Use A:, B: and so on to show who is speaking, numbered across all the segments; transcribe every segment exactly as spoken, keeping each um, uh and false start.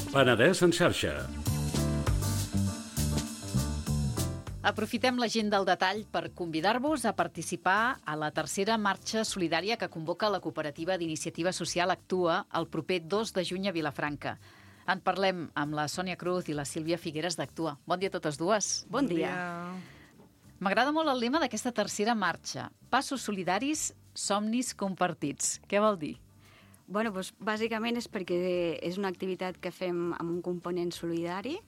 A: Penedès en xarxa.
B: Aprofitem la gent del detall per convidar-vos a participar a la tercera marxa solidària que convoca la cooperativa d'iniciativa social Actua el proper dos de juny a Vilafranca. En parlem amb la Sònia Cruz i la Sílvia Figueres d'Actua. Bon dia a totes dues.
C: Bon dia.
B: M'agrada molt el lema d'aquesta tercera marxa. Passos solidaris, somnis compartits. Què vol dir?
C: Bueno, doncs, bàsicament és perquè és una activitat que fem amb un component solidari,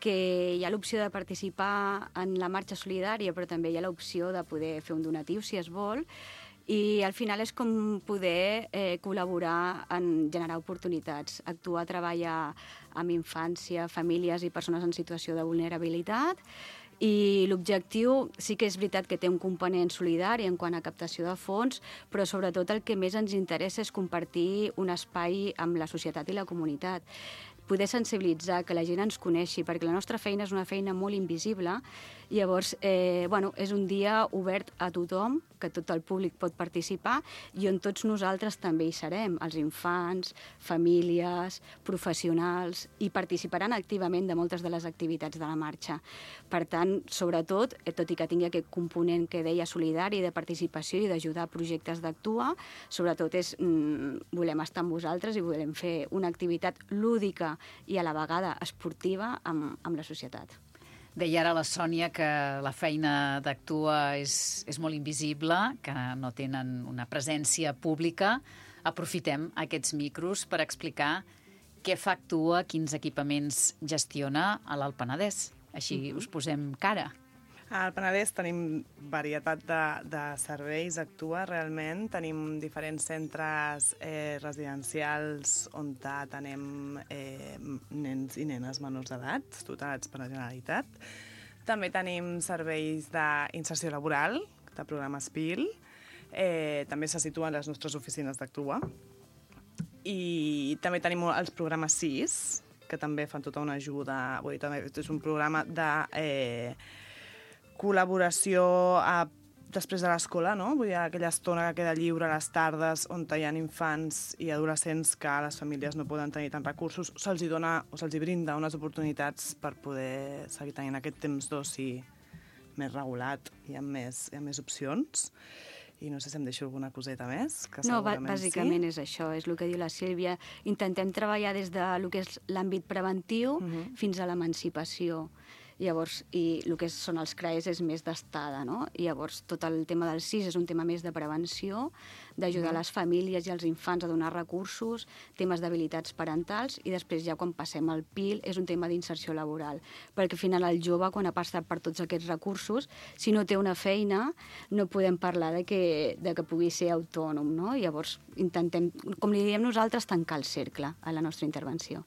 C: que hi ha l'opció de participar en la marxa solidària, però també hi ha l'opció de poder fer un donatiu, si es vol, i al final és com poder eh, col·laborar en generar oportunitats. Actua treballa amb infància, famílies i persones en situació de vulnerabilitat, i l'objectiu sí que és veritat que té un component solidari en quant a captació de fons, però sobretot el que més ens interessa és compartir un espai amb la societat i la comunitat. Poder sensibilitzar, que la gent ens coneixi, perquè la nostra feina és una feina molt invisible, i llavors eh, bueno, és un dia obert a tothom, que tot el públic pot participar, i on tots nosaltres també hi serem, els infants, famílies, professionals, i participaran activament de moltes de les activitats de la marxa. Per tant, sobretot, eh, tot i que tingui aquest component que deia solidari, de participació i d'ajudar a projectes d'Actua, sobretot és, mm, volem estar amb vosaltres i volem fer una activitat lúdica i a la vegada esportiva amb, amb la societat.
B: Deia ara la Sònia que la feina d'Actua és, és molt invisible, que no tenen una presència pública. Aprofitem aquests micros per explicar què fa Actua, quins equipaments gestiona a l'Alt Penedès. Així uh-huh. us posem cara.
D: Al Penedès tenim varietat de, de serveis, Actua, realment. Tenim diferents centres eh, residencials on atenem eh, nens i nenes menors d'edat, tutelats per la Generalitat. També tenim serveis d'inserció laboral, de programes P I L. Eh, també se situen les nostres oficines d'Actua. I també tenim els programes S I S, que també fan tota una ajuda. Vull dir, també és un programa de... Eh, col·laboració a, després de l'escola, no? Vull dir, aquella estona que queda lliure a les tardes on hi ha infants i adolescents que les famílies no poden tenir tants recursos, se'ls dona o se'ls brinda unes oportunitats per poder seguir tenint aquest temps d'oci més regulat i amb més, i amb més opcions. I no sé si em deixo alguna coseta més, que
C: no,
D: segurament
C: bàsicament
D: sí.
C: És això, és el que diu la Sílvia. Intentem treballar des de lo que és l'àmbit preventiu uh-huh. fins a l'emancipació. Llavors, i el que són els C R A E S és més d'estada, no? I llavors tot el tema del S I S és un tema més de prevenció, d'ajudar mm. les famílies i els infants a donar recursos, temes d'habilitats parentals, i després ja quan passem al P I L és un tema d'inserció laboral, perquè al final el jove, quan ha passat per tots aquests recursos, si no té una feina, no podem parlar de que, de que pugui ser autònom, no? Llavors intentem, com li diem nosaltres, tancar el cercle a la nostra intervenció.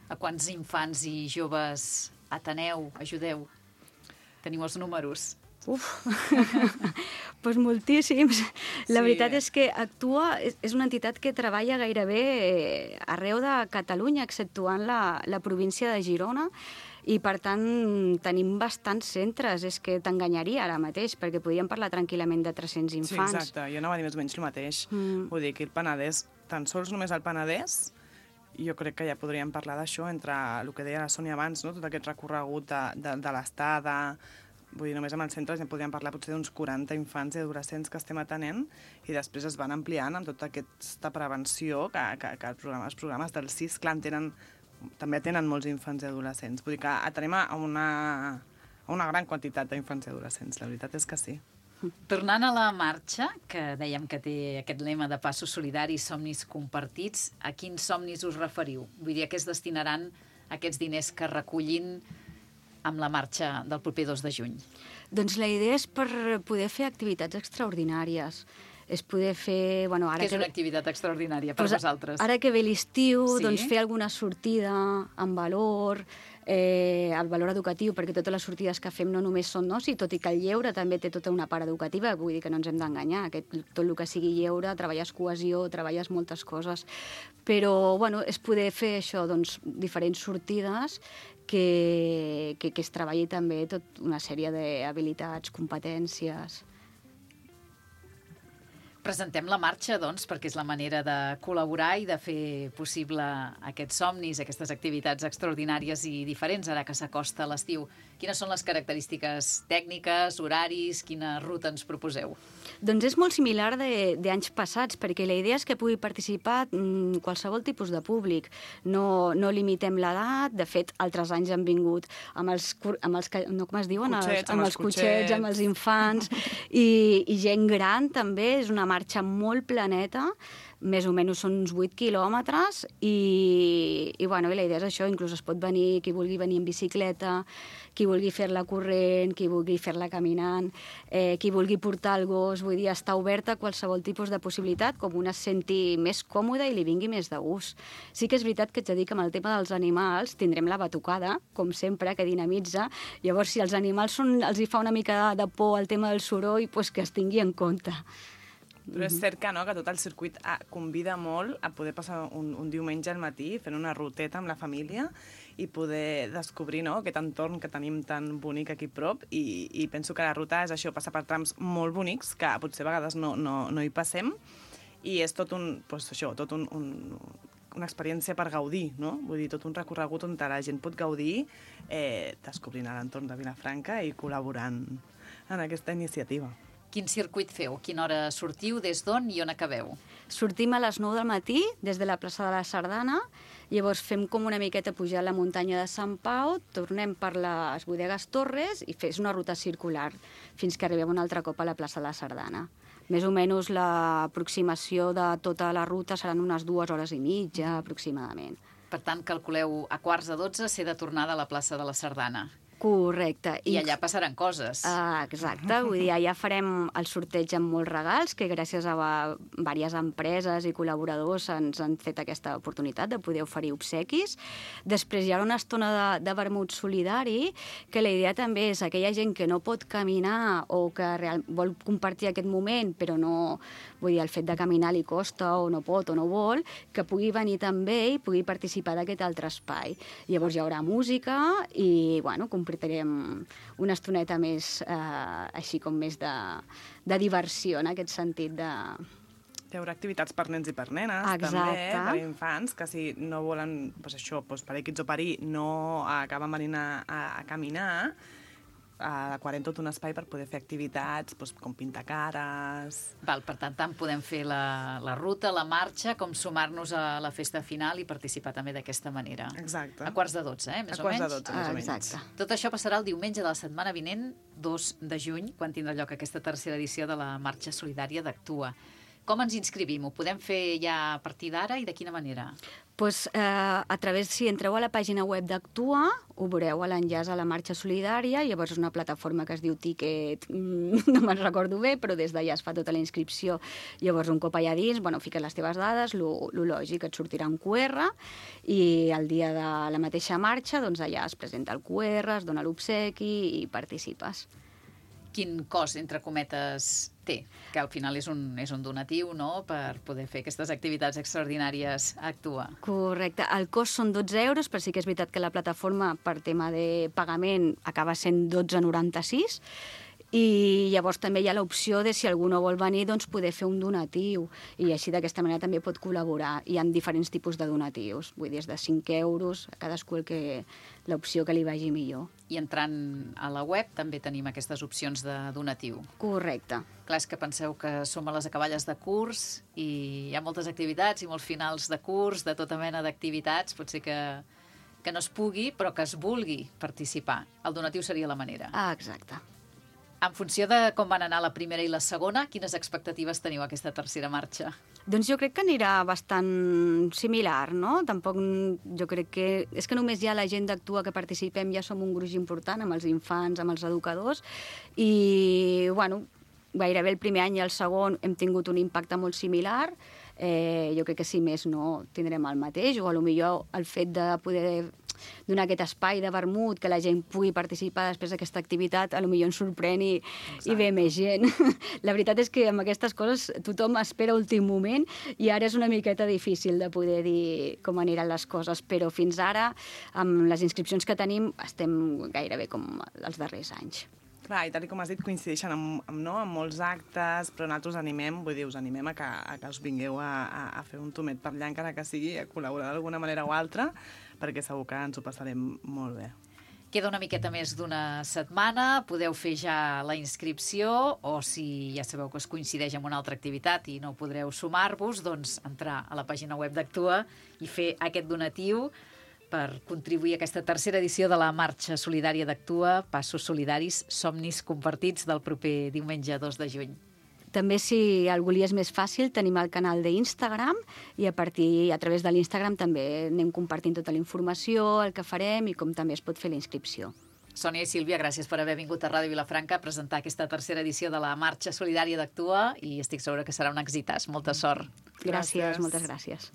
B: A quants infants i joves ateneu, ajudeu? Teniu els números?
C: Uf, doncs moltíssims. La sí. veritat és que Actua és una entitat que treballa gairebé arreu de Catalunya, exceptuant la, la província de Girona, i per tant tenim bastants centres. És que t'enganyaria ara mateix, perquè podríem parlar tranquil·lament de tres-cents infants.
D: Sí, exacte. Jo anava a dir més o menys el mateix. Mm. Vull dir que el Penedès, tan sols només el Penedès, jo crec que ja podríem parlar d'això entre el que deia la Sònia abans, no? Tot aquest recorregut de, de, de l'estada. Vull dir, només amb els centres ja podríem parlar potser d'uns quaranta infants i adolescents que estem atenent, i després es van ampliant amb tota aquesta prevenció que, que, que el programa, els programes del S I S, clar, tenen, també tenen molts infants i adolescents. Vull dir que atenem a una, a una gran quantitat d'infants i adolescents, la veritat és que sí.
B: Tornant a la marxa, que dèiem que té aquest lema de passos solidaris, somnis compartits, a quins somnis us referiu? Vull dir, a què es destinaran aquests diners que recullin amb la marxa del proper dos de juny?
C: Doncs la idea és per poder fer activitats extraordinàries. És poder fer... Bueno, ara
B: Què és
C: que...
B: una activitat extraordinària per
C: pues,
B: vosaltres? Ara
C: que ve l'estiu,
B: sí?
C: doncs fer alguna sortida amb valor, eh, el valor educatiu, perquè totes les sortides que fem no només són d'oci, tot i que el lleure també té tota una part educativa, vull dir que no ens hem d'enganyar, tot el que sigui lleure, treballes cohesió, treballes moltes coses, però bueno, és poder fer això, doncs, diferents sortides que, que, que es treballi també tota una sèrie d'habilitats, competències.
B: Presentem la marxa, doncs, perquè és la manera de col·laborar i de fer possible aquests somnis, aquestes activitats extraordinàries i diferents, ara que s'acosta l'estiu. Quines són les característiques tècniques, horaris, quina ruta ens proposeu?
C: Doncs és molt similar d'anys passats, perquè la idea és que pugui participar mm, qualsevol tipus de públic. No, no limitem l'edat, de fet, altres anys han vingut amb els, amb els no, com es diuen?
D: Cotxets,
C: els, amb, amb els cotxets, cotxets, amb els infants, i, i gent gran també, és una marxa molt planeta, més o menys són uns vuit quilòmetres, i, i, bueno, i la idea és això, inclús es pot venir, qui vulgui venir en bicicleta, qui vulgui fer-la corrent, qui vulgui fer-la caminant, eh, qui vulgui portar el gos, vull dir, està oberta a qualsevol tipus de possibilitat, com una es senti més còmoda i li vingui més de gust. Sí que és veritat que ets a dir que amb el tema dels animals tindrem la batucada, com sempre, que dinamitza. Llavors, si als animals són, els hi fa una mica de por el tema del soroll, doncs que es tingui en compte.
D: Però és cert que, no, que tot el circuit ah, convida molt a poder passar un, un diumenge al matí fent una ruteta amb la família i poder descobrir, no, aquest entorn que tenim tan bonic aquí a prop, i, i penso que la ruta és això, passa per trams molt bonics que potser a vegades no, no, no hi passem, i és tot un, doncs això, tot un, un, una experiència per gaudir, no? Vull dir, tot un recorregut on la gent pot gaudir eh, descobrint l'entorn de Vilafranca i col·laborant en aquesta iniciativa.
B: Quin circuit feu? Quina hora sortiu? Des d'on i on acabeu?
C: Sortim a les nou del matí, des de la plaça de la Sardana, llavors fem com una miqueta pujar la muntanya de Sant Pau, tornem per les Bodegues Torres i fes una ruta circular fins que arribem un altre cop a la plaça de la Sardana. Més o menys l'aproximació de tota la ruta seran unes dues hores i mitja, aproximadament.
B: Per tant, calculeu a quarts de dotze ser de tornada a la plaça de la Sardana.
C: Correcte.
B: I allà passaran coses.
C: Uh, exacte, vull dir, allà farem el sorteig amb molts regals, que gràcies a diverses empreses i col·laboradors ens han fet aquesta oportunitat de poder oferir obsequis. Després hi ha una estona de, de vermut solidari, que la idea també és aquella gent que no pot caminar o que real, vol compartir aquest moment, però no, vull dir, el fet de caminar li costa o no pot o no vol, que pugui venir també i pugui participar d'aquest altre espai. Llavors hi haurà música i, bueno, compartirem una estoneta més, eh, així com més de, de diversió, en aquest sentit de...
D: Hi haurà activitats per nens i per nenes,
C: Exacte.
D: també, per infants, que si no volen, doncs això, doncs per equips o per i, no acaben venint a, a, a caminar, adequarem tot un espai per poder fer activitats, doncs, com pintar cares...
B: Val, per tant, tant podem fer la, la ruta, la marxa, com sumar-nos a la festa final i participar també d'aquesta manera.
D: Exacte.
B: A quarts de dotze, eh, més
D: a
B: o menys?
D: A quarts de dotze, més
C: ah,
D: o menys.
C: Exacte.
B: Tot això passarà el diumenge de la setmana vinent, dos de juny, quan tindrà lloc aquesta tercera edició de la Marxa Solidària d'Actua. Com ens inscrivim? Ho podem fer ja a partir d'ara i de quina manera?
C: Pues, eh, a través, si entreu a la pàgina web d'Actua, ho veureu a l'enllaç a la Marxa Solidària, llavors és una plataforma que es diu Ticket, no me'n recordo bé, però des d'allà es fa tota la inscripció. Llavors, un cop allà dins, bueno, fiques les teves dades, lo, lo lògic, et sortirà un Q R, i el dia de la mateixa marxa, doncs allà es presenta el Q R, es dona l'obsequi i participes.
B: Quin cost, entre cometes, té? Que al final és un, és un donatiu, no?, per poder fer aquestes activitats extraordinàries a Actua.
C: Correcte. El cost són dotze euros, però sí que és veritat que la plataforma, per tema de pagament, acaba sent dotze coma noranta-sis, i llavors també hi ha l'opció de si algú no vol venir, doncs poder fer un donatiu, i així d'aquesta manera també pot col·laborar. Hi ha diferents tipus de donatius, vull dir, des de cinc euros, a cadascú el que, l'opció que li vagi millor.
B: I entrant a la web també tenim aquestes opcions de donatiu.
C: Correcte.
B: Clar, és que penseu que som a les acaballes de curs i hi ha moltes activitats i molts finals de curs, de tota mena d'activitats, pot ser que, que no es pugui, però que es vulgui participar. El donatiu seria la manera.
C: Ah, exacte.
B: En funció de com van anar la primera i la segona, quines expectatives teniu a aquesta tercera marxa?
C: Doncs jo crec que anirà bastant similar, no? Tampoc, jo crec que... És que només ja la gent d'Actua que participem ja som un gruix important, amb els infants, amb els educadors, i, bueno, gairebé el primer any i el segon hem tingut un impacte molt similar. Eh, jo crec que si més no tindrem el mateix, o potser el fet de poder donar aquest espai de vermut, que la gent pugui participar després d'aquesta activitat, potser ens sorprèn i, i ve més gent. La veritat és que amb aquestes coses tothom espera últim moment i ara és una miqueta difícil de poder dir com aniran les coses, però fins ara, amb les inscripcions que tenim, estem gairebé com els darrers anys.
D: Clar, i tal com has dit, coincideixen amb, amb, no, amb molts actes, però nosaltres animem, vull dir, us animem a que, a que us vingueu a, a, a fer un tomet per allà, encara que sigui, a col·laborar d'alguna manera o altra, perquè segur que ens ho passarem molt bé.
B: Queda una miqueta més d'una setmana, podeu fer ja la inscripció, o si ja sabeu que es coincideix amb una altra activitat i no podreu sumar-vos, doncs entrar a la pàgina web d'Actua i fer aquest donatiu per contribuir a aquesta tercera edició de la Marxa Solidària d'Actua, Passos Solidaris, Somnis Compartits, del proper diumenge dos de juny.
C: També, si algú li és més fàcil, tenim el canal d'Instagram i a partir, a través de l'Instagram també anem compartint tota la informació, el que farem i com també es pot fer la inscripció.
B: Sònia i Sílvia, gràcies per haver vingut a Ràdio Vilafranca a presentar aquesta tercera edició de la Marxa Solidària d'Actua i estic segura que serà un èxit. Molta sort.
C: Gràcies, gràcies. Moltes gràcies.